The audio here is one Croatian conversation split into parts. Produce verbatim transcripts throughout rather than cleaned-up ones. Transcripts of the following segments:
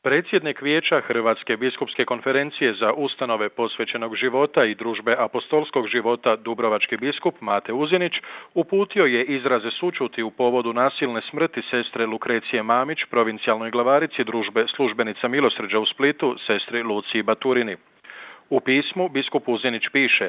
Predsjednik Vijeća Hrvatske biskupske konferencije za ustanove posvećenog života i družbe apostolskog života dubrovački biskup Mate Uzinić uputio je izraze sućuti u povodu nasilne smrti sestre Lukrecije Mamić, provincijalnoj glavarici družbe službenica milosrđa u Splitu, sestri Luciji Baturini. U pismu biskup Uzinić piše: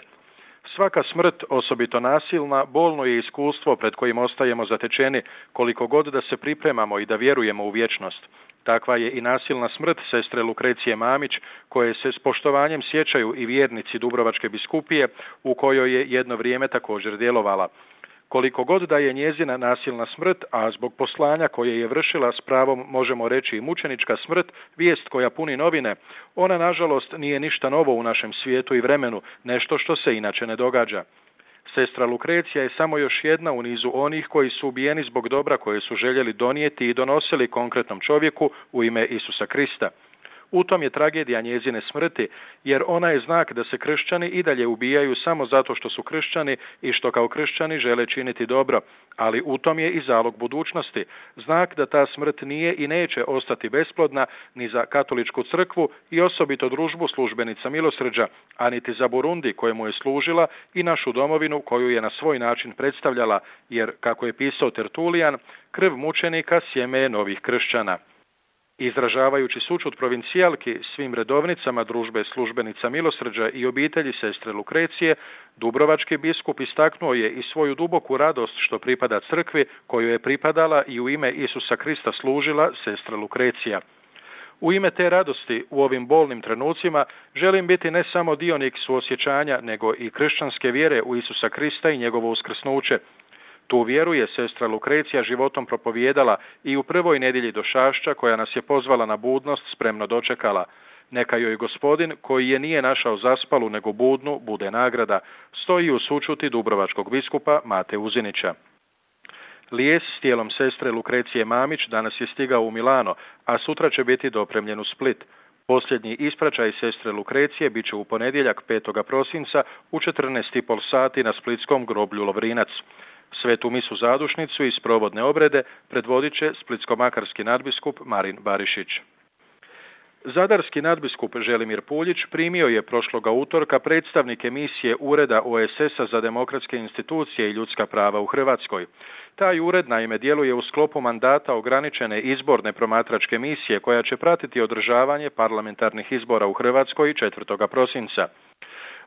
svaka smrt, osobito nasilna, bolno je iskustvo pred kojim ostajemo zatečeni koliko god da se pripremamo i da vjerujemo u vječnost. Takva je i nasilna smrt sestre Lukrecije Mamić, koje se s poštovanjem sjećaju i vjernici Dubrovačke biskupije, u kojoj je jedno vrijeme također djelovala. Koliko god da je njezina nasilna smrt, a zbog poslanja koje je vršila s pravom možemo reći i mučenička smrt, vijest koja puni novine, ona nažalost nije ništa novo u našem svijetu i vremenu, nešto što se inače ne događa. Sestra Lukrecija je samo još jedna u nizu onih koji su ubijeni zbog dobra koje su željeli donijeti i donosili konkretnom čovjeku u ime Isusa Krista. U tom je tragedija njezine smrti, jer ona je znak da se kršćani i dalje ubijaju samo zato što su kršćani i što kao kršćani žele činiti dobro, ali u tom je i zalog budućnosti, znak da ta smrt nije i neće ostati besplodna ni za katoličku crkvu i osobito družbu službenica milosrđa, a niti za Burundi kojemu je služila i našu domovinu koju je na svoj način predstavljala, jer, kako je pisao Tertulijan, krv mučenika sjeme je novih kršćana. Izražavajući sućut provincijalki svim redovnicama družbe službenica milosrđa i obitelji sestre Lukrecije, dubrovački biskup istaknuo je i svoju duboku radost što pripada crkvi koju je pripadala i u ime Isusa Krista služila sestra Lukrecija. U ime te radosti u ovim bolnim trenucima želim biti ne samo dionik suosjećanja, nego i kršćanske vjere u Isusa Krista i njegovo uskrsnuće. Tu vjeru je sestra Lukrecija životom propovijedala i u prvoj nedjelji došašća koja nas je pozvala na budnost spremno dočekala. Neka joj Gospodin, koji je nije našao zaspalu nego budnu, bude nagrada, stoji u sućuti dubrovačkog biskupa Mate Uzinića. Lijes s tijelom sestre Lukrecije Mamić danas je stigao u Milano, a sutra će biti dopremljen u Split. Posljednji ispraćaj sestre Lukrecije bit će u ponedjeljak petog prosinca u četrnaest i pol sati na splitskom groblju Lovrinac. Svetu misu zadušnicu i sprovodne obrede predvodit će splitsko-makarski nadbiskup Marin Barišić. Zadarski nadbiskup Želimir Puljić primio je prošloga utorka predstavnike misije Ureda O S S-a za demokratske institucije i ljudska prava u Hrvatskoj. Taj ured naime djeluje u sklopu mandata ograničene izborne promatračke misije koja će pratiti održavanje parlamentarnih izbora u Hrvatskoj četvrtog prosinca.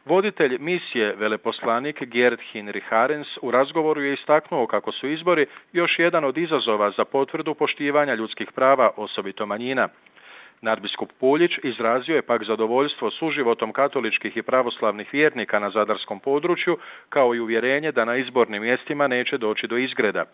Voditelj misije, veleposlanik Gerd Hinrich Harens, u razgovoru je istaknuo kako su izbori još jedan od izazova za potvrdu poštivanja ljudskih prava, osobito manjina. Nadbiskup Puljić izrazio je pak zadovoljstvo suživotom katoličkih i pravoslavnih vjernika na zadarskom području, kao i uvjerenje da na izbornim mjestima neće doći do izgreda.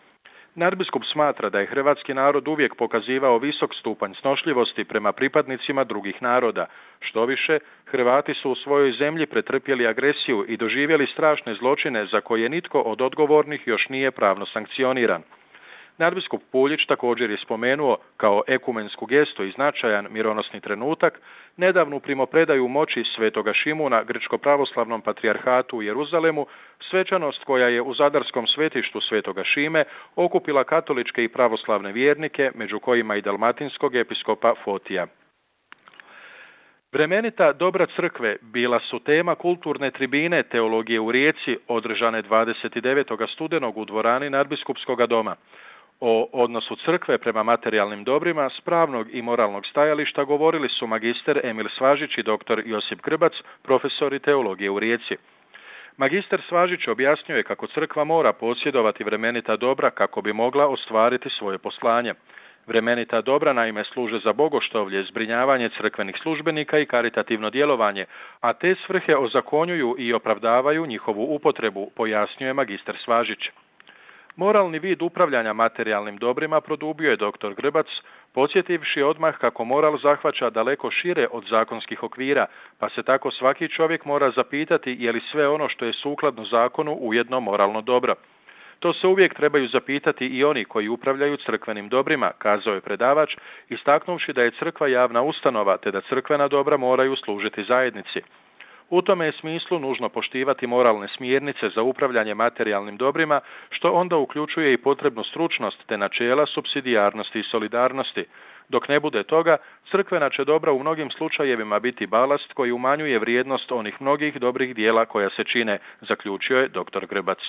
Nadbiskup smatra da je hrvatski narod uvijek pokazivao visok stupanj snošljivosti prema pripadnicima drugih naroda. Štoviše, Hrvati su u svojoj zemlji pretrpjeli agresiju i doživjeli strašne zločine za koje nitko od odgovornih još nije pravno sankcioniran. Nadbiskup Puljić također je spomenuo kao ekumensku gestu i značajan mironosni trenutak nedavnu primopredaju moći svetoga Šimuna grčko-pravoslavnom patrijarhatu u Jeruzalemu, svečanost koja je u zadarskom svetištu svetoga Šime okupila katoličke i pravoslavne vjernike, među kojima i dalmatinskog episkopa Fotija. Vremenita dobra crkve bila su tema kulturne tribine teologije u Rijeci održane dvadeset devetog studenog u dvorani nadbiskupskog doma. O odnosu crkve prema materijalnim dobrima s pravnog i moralnog stajališta govorili su magister Emil Svažić i doktor Josip Grbac, profesori teologije u Rijeci. Magister Svažić objasnjuje kako crkva mora posjedovati vremenita dobra kako bi mogla ostvariti svoje poslanje. Vremenita dobra naime služe za bogoštovlje, zbrinjavanje crkvenih službenika i karitativno djelovanje, a te svrhe ozakonjuju i opravdavaju njihovu upotrebu, pojasnjuje magister Svažić. Moralni vid upravljanja materijalnim dobrima produbio je doktor Grbac, podsjetivši odmah kako moral zahvaća daleko šire od zakonskih okvira, pa se tako svaki čovjek mora zapitati je li sve ono što je sukladno zakonu ujedno moralno dobro. To se uvijek trebaju zapitati i oni koji upravljaju crkvenim dobrima, kazao je predavač, istaknuvši da je crkva javna ustanova te da crkvena dobra moraju služiti zajednici. U tome je smislu nužno poštivati moralne smjernice za upravljanje materijalnim dobrima, što onda uključuje i potrebnu stručnost te načela supsidijarnosti i solidarnosti. Dok ne bude toga, crkvena će dobra u mnogim slučajevima biti balast koji umanjuje vrijednost onih mnogih dobrih dijela koja se čine, zaključio je doktor Grbac.